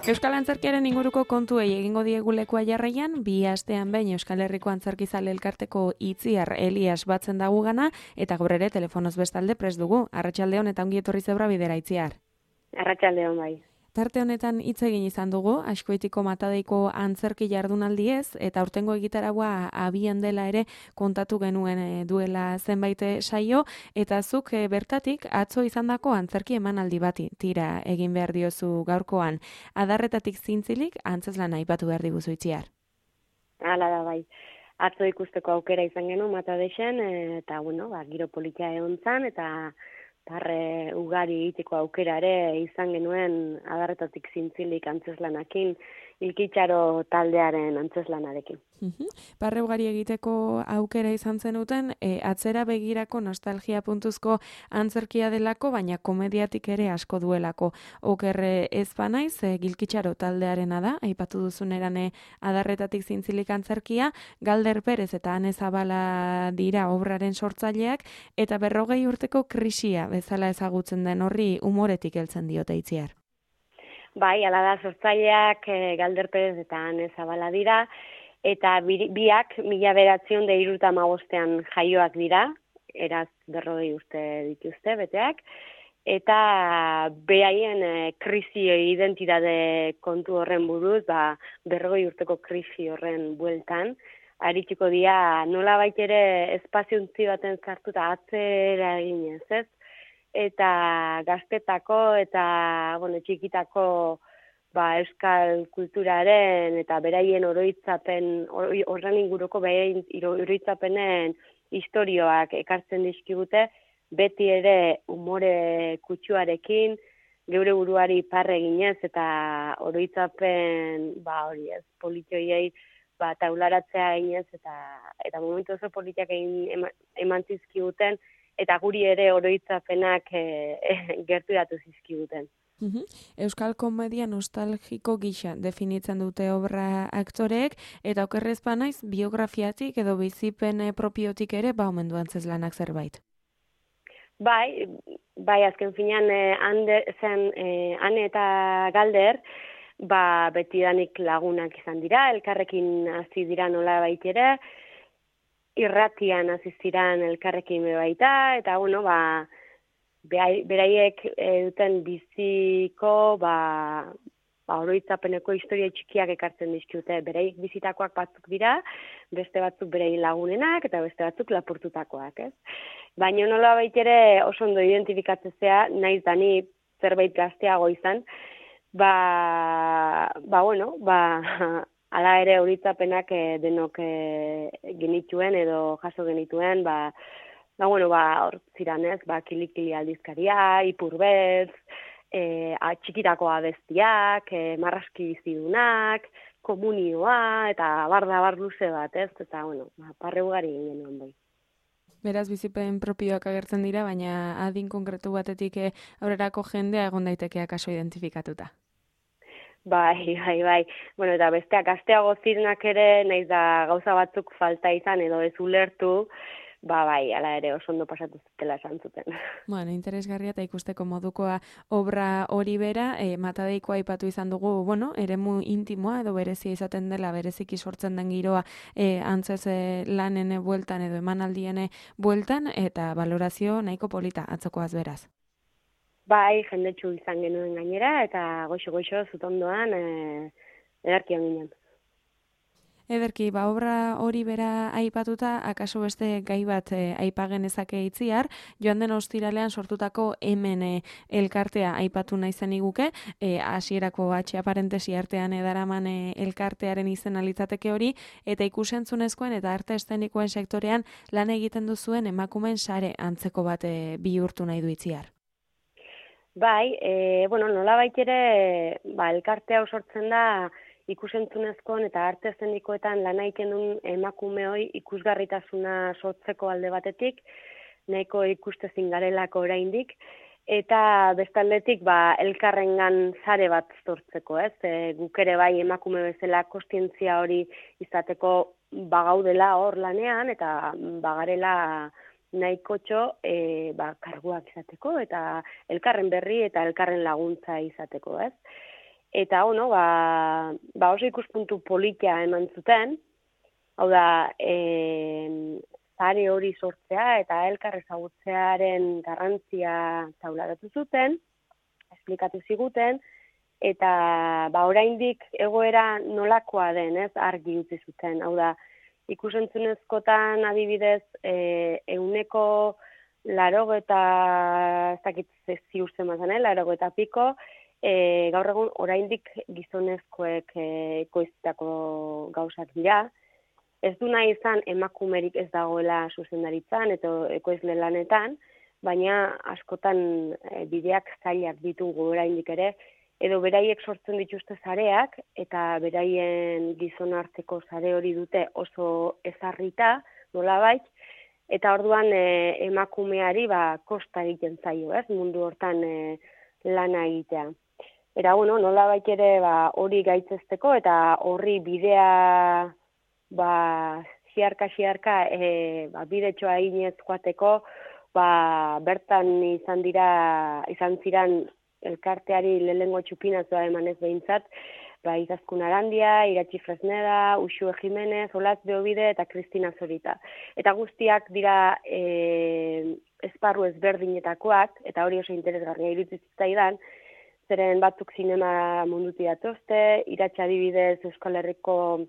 Euskal Antzerkiaren inguruko kontuei egingo diegu lekua jarraian, 2 astean behin Euskal Herriko Antzerkizale Elkarteko Itziar Elias batzen dagu gana, eta gaur ere telefonoz bestalde prest dugu. Arratsaldeon eta ongi etorri Zebra Bidera, Itziar. Arratsaldeon bai. Tarte honetan hitz egin izan dugu, Azkoitiko Matadeiko antzerki jardunaldiez, eta aurtengo egitaragua abian dela ere kontatu genuen duela zenbait saio, eta zuk bertatik atzo izandako antzerki emanaldi bati tira egin behar diozu gaurkoan. Adarretatik zintzilik antzeslana aipatu behar diguzu, Itziar. Hala da bai. Atzo ikusteko aukera izan genuen Matadesen, eta giro politia egon zan, eta parre ugari egiteko aukera ere izan genuen adarretatik zintzilik antzeslanakin, Ilkitxaro taldearen antzeslanarekin. Parre ugari egiteko aukera izan zenuten, atzera begirako nostalgia puntuzko antzerkia delako, baina komediatik ere asko duelako. Oker ez banaiz, Gilkitxaro taldearena da, aipatu duzun erane adarretatik zintzilik antzerkia, Galder Perez eta Ane Zabala dira obraren sortzaileak, eta 40 urteko krisia bezala ezagutzen den horri umoretik heltzen diote, Itziar. Bai, hala da, sortzaileak Galder Perez eta Ane Zabala dira, eta biak 1975 jaioak dira, eraz 40 urte dituzte beteak, eta beraien krisi identitate kontu horren buruz, 40 urteko krisi horren bueltan, arituko dira nolabait ere espaziontzi baten sartu eta atzera eginez, ez? Eta gaztetako eta txikitako euskal kulturaren eta beraien oroitzapen, horren inguruko beraien oroitzapenen istorioak ekartzen dizkigute, beti ere umore kutsuarekin, geure buruari parre eginez eta oroitzapen politioiei taularatzea eginez eta momentu oso politiak eman zizkiguten, eta guri ere oroitzapenak gerturatu zizkiguten. Euskal komedia nostalgiko gisa definitzen dute obra aktoreek, eta okerrez banaiz biografiatik edo bizipen propiotik ere omen du antzeslanak zerbait. Bai, azken finean Ane eta Galder, betidanik lagunak izan dira, elkarrekin hasi dira nolabait ere, irratian hasi ziren elkarrekin baita, eta beraiek duten biziko oroitzapeneko historia txikiak ekartzen dizkute. Beraiek bizitakoak batzuk dira, beste batzuk beraien lagunenak eta beste batzuk lapurtutakoak, ez? Baina nolabait ere oso ondo identifikatzea, naiz dani zerbait gazteago izan, hala ere horitzapenak denok genituen edo jaso genituen, hor ziren ez, Kilikili aldizkaria, Ipurbeltz, txikitako abestiak, marraski bizidunak, komunioa, eta bar luze bat, ez, eta parre ugari genuen bai. Beraz, bizipen propioak agertzen dira, baina adin konkretu batetik aurrerako jendea egon daiteke akaso identifikatuta. Bai. Eta besteak gazteago zirenak ere, naiz da gauza batzuk falta izan edo ez ulertu, hala ere oso ondo pasatu zutela esan zuten. Interesgarria eta ikusteko modukoa obra hori bera, Matadeikoa aipatu izan dugu, eremu intimoa edo berezia izaten dela, bereziki sortzen den giroa antzez lanen bueltan edo emanaldien bueltan, eta valorazio nahiko polita atzokoaz beraz. Bai, jendetsu izan genuen gainera, eta goxo zutondoan edarkian ginen. Ederki, obra hori bera aipatuta, akaso beste gai bat aipagen ezake Itziar, joan den ostiralean sortutako hemen elkartea aipatu nahi zen iguke, hasierako parentesi artean edaraman elkartearen izena litzateke hori, eta ikusentzunezkoen eta arte eszenikoen sektorean lan egiten duzuen emakumeen sare antzeko bat bihurtu nahi du Itziar. Bai, nolabait ere, elkartea sortzen da ikusentzunezkoen eta arte eszenikoetan lan egiten duen emakume hori ikusgarritasuna sortzeko alde batetik, nahiko ikustezin garelako oraindik, eta bestaldetik elkarrengan sare bat sortzeko, ez? Guk ere bai emakume bezala kontzientzia hori izateko gaudela hor lanean, eta garela nahikotxo karguak izateko, eta elkarren berri eta elkarren laguntza izateko, ez? Eta oso ikuspuntu politia eman zuten, hau da, zare hori sortzea eta elkar ezagutzearen garrantzia taularatu zuten, esplikatu ziguten, eta oraindik egoera nolakoa den, ez, argi utzi zuten. Hau da, ikusentzunezkotan adibidez, 80, ez dakit ziur zemazan, 80 piko, gaur egun oraindik gizonezkoek ekoiztako gauzak dira. Ez du nahi izan emakumerik ez dagoela zuzendaritzan eta ekoizle lanetan, baina askotan bideak zailak ditugu oraindik ere, edo beraiek sortzen dituzte zareak eta beraien gizon arteko sare hori dute oso ezarrita, nolabait, eta orduan emakumeari kosta egiten zaio, ez, mundu hortan lana egitea. Eta, nolabait ere hori gaitzesteko eta horri bidea xiarka bidetxoa eginez joateko, bertan izan ziren elkarteari lehengo txupinazoa emanez behintzat, Izaskun Arandia, Iratxi Fresneda, Uxue Jimenez, Olatz Beobide eta Kristina Zorita. Eta guztiak dira esparru ezberdinetakoak, eta hori oso interesgarria iruditzen zitzaidan, zeren batzuk zinema mundutik datozte, Iratxa adibidez Euskal Herriko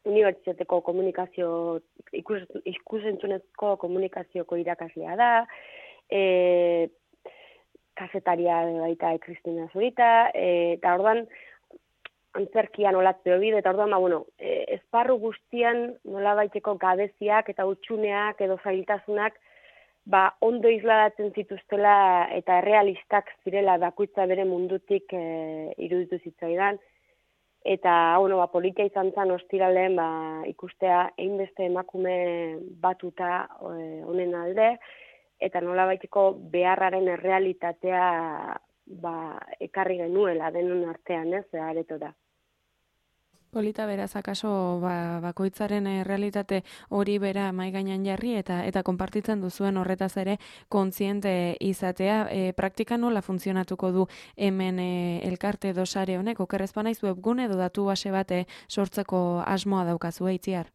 Unibertsitateko komunikazio, ikusentzunezko komunikazioko irakaslea da, kazetaria baita Kristina Zorita, eta orduan antzerkian Olatz Beobide, eta orduan, esparru guztian nolabaiteko gabeziak eta hutsuneak edo zailtasunak ondo isladatzen zituztela eta errealistak zirela bakoitza bere mundutik iruditu zitzaidan. Eta, politia izan zen ostiralean ikustea hainbeste emakume batuta honen alde, eta nolabaiteko beharraren errealitatea ekarri genuela denon artean, ez, aretora. Polita beraz, akaso bakoitzaren realitate hori bera mahai gainean jarri eta konpartitzen duzuen horretaz ere kontziente izatea. Praktikan nola funtzionatuko du hemen elkarte edo sare honek, okerrez banaiz webgune edo datu base bat sortzeko asmoa daukazu, Itziar?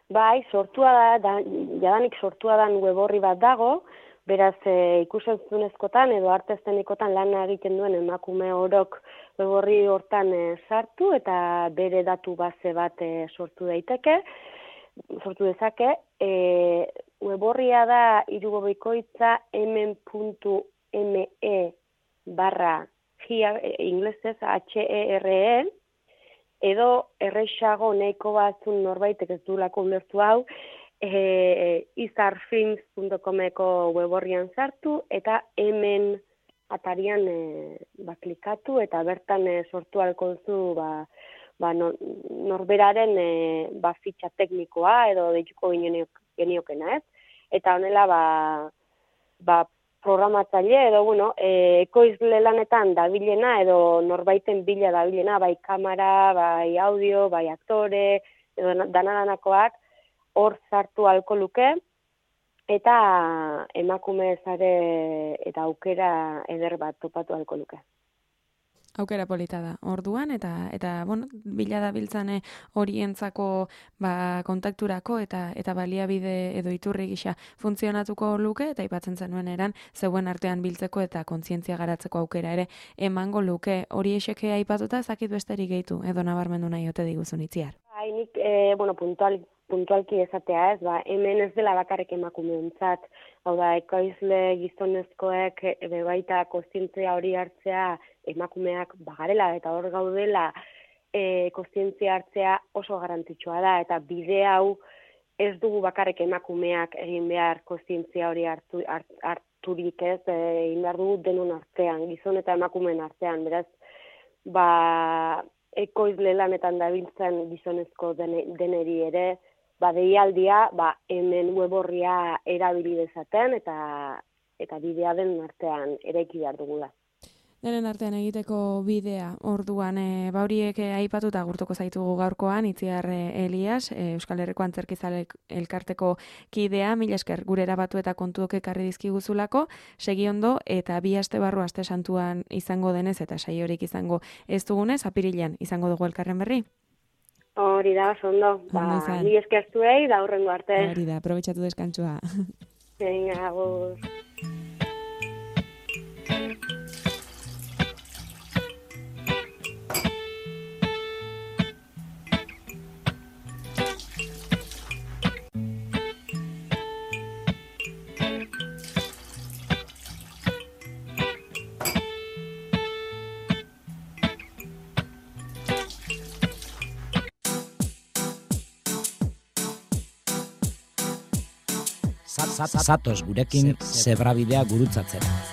Bai, jadanik sortua dan web horri bat dago, beraz ikusentzunezkotan edo arte eszenikotan lana egiten duen emakume orok web horri hortan sartu eta bere datu base bat sortu dezake. Web horria da irugobikoitza hemen.me inglesez HERE, edo errexago nahiko batzun norbaitek ez duelako ulertu hau, izarfilms.comeko web horrian sartu eta hemen atarian klikatu eta bertan sortu alkozu norberaren fitxa teknikoa edo deituko geniokena, ez? Eta honela programatzaile edo ekoizle lanetan dabilena edo norbaiten bila dabilena, bai kamera, bai audio, bai aktore, edo danadanakoak hor sartu alko luke, eta emakume zare eta aukera eder bat topatu alko luke. Aukera polita da. Orduan eta bila dabiltzan horientzako kontakturako eta baliabide edo iturri gisa funtzionatuko luke eta aipatzen zenuen eran zeuen artean biltzeko eta kontzientzia garatzeko aukera ere emango luke. Hori eseke aipatuta ezakit besterik gehitu edo nabarmendu nahi ote diguzun, Itziar. Nik puntualki esatea, ez, hemen ez dela bakarrik emakumeentzat, hau da, ekoizle gizonezkoek baita kontzientzia hori hartzea emakumeak bagarela eta hor gaudela kontzientzia hartzea oso garrantzitsua da, eta bide hau ez dugu bakarrik emakumeak egin behar kontzientzia hori harturik, ez, egin behar dugu denon artean, gizon eta emakumeen artean, beraz, ekoizle lanetan dabiltzen gizonezko deneri ere, deialdia, hemen web horria erabili dezaten eta bidea den artean eraiki behar dugula. Denen artean egiteko bidea, orduan, bauriek aipatuta gurtuko zaitugu gaurkoan, Itziar Elias, Euskal Herriko Antzerkizale elkarteko kidea, mila esker gure erabatu eta kontuok ekarri dizkiguzulako, segi ondo, eta 2 aste barru aste santuan izango denez, eta saiorik izango ez dugunez, apirilean izango dugu elkarren berri. Hori da, oso ondo. Mila esker zuei, da hurrengo arte. Hori da, aprobetxatu deskantzua. Venga, agur. Zatoz gurekin zebrabidea gurutzatzera.